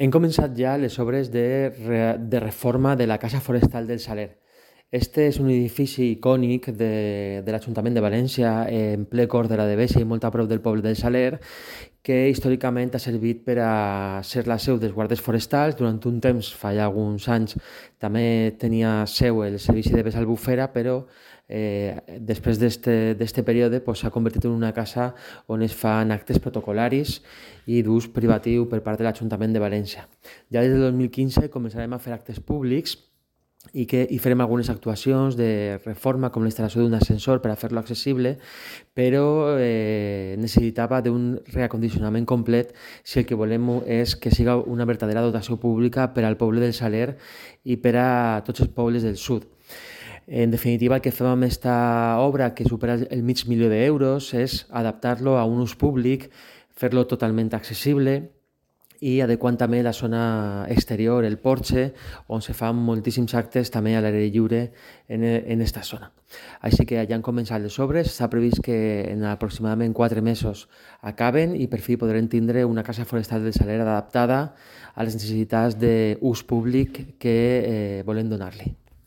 Hem començat ja les obres de reforma de la Casa Forestal del Saler. Este és un edifici icònic de l'Ajuntament de València, en ple cor de la Devesa i molt a prop del poble del Saler, que històricament ha servit per a ser la seu dels guardes forestals. Durant un temps, fa ja alguns anys, també tenia seu el servici de vesa albufera, però després d'este període s'ha convertit en una casa on es fan actes protocolaris i d'ús privatiu per part de l'Ajuntament de València. Ja des del 2015 començarem a fer actes públics i farem algunes actuacions de reforma com la instal·lació d'un ascensor per a fer-lo accessible, però necessitava d'un reacondicionament complet si el que volem és que siga una verdadera dotació pública per al poble del Saler i per a tots els pobles del sud. En definitiva, el que fem amb aquesta obra, que supera el $500.000, és adaptar-lo a un ús públic, fer-lo totalment accessible i adequant també la zona exterior, el porxe, on se fan moltíssims actes també a l'aire lliure en esta zona. Així que ja han començat les obres, s'ha previst que en aproximadament 4 mesos acaben i per fi podrem tindre una casa forestal del Saler adaptada a les necessitats d'ús públic que volem donar-li.